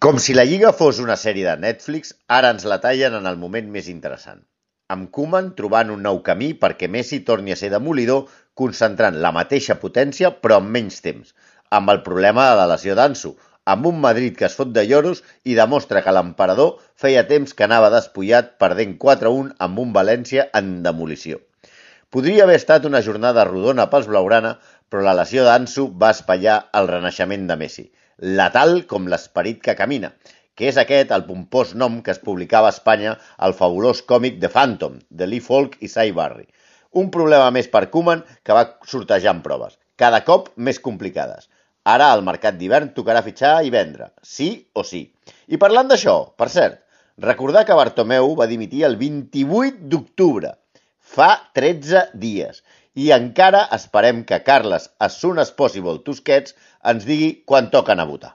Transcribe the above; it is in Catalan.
Com si la Lliga fos una sèrie de Netflix, ara ens la tallen en el moment més interessant. Amb Koeman trobant un nou camí perquè Messi torni a ser demolidor, concentrant la mateixa potència però amb menys temps, amb el problema de la lesió d'Ansu, amb un Madrid que es fot de lloros i demostra que l'emperador feia temps que anava despullat perdent 4-1 amb un València en demolició. Podria haver estat una jornada rodona pels blaugrana, però la lesió d'Ansu va espatllar el renaixement de Messi, letal com l'esperit que camina, que és aquest el pompós nom que es publicava a Espanya al fabulós còmic The Phantom, de Lee Falk i Cy Barry. Un problema més per Koeman que va sortejant proves, cada cop més complicades. Ara al mercat d'hivern tocarà fitxar i vendre, sí o sí. I parlant d'això, per cert, recordar que Bartomeu va dimitir el 28 d'octubre, fa 13 dies, i encara esperem que Carles, as soon as possible Tusquets, ens digui quan toca anar a votar.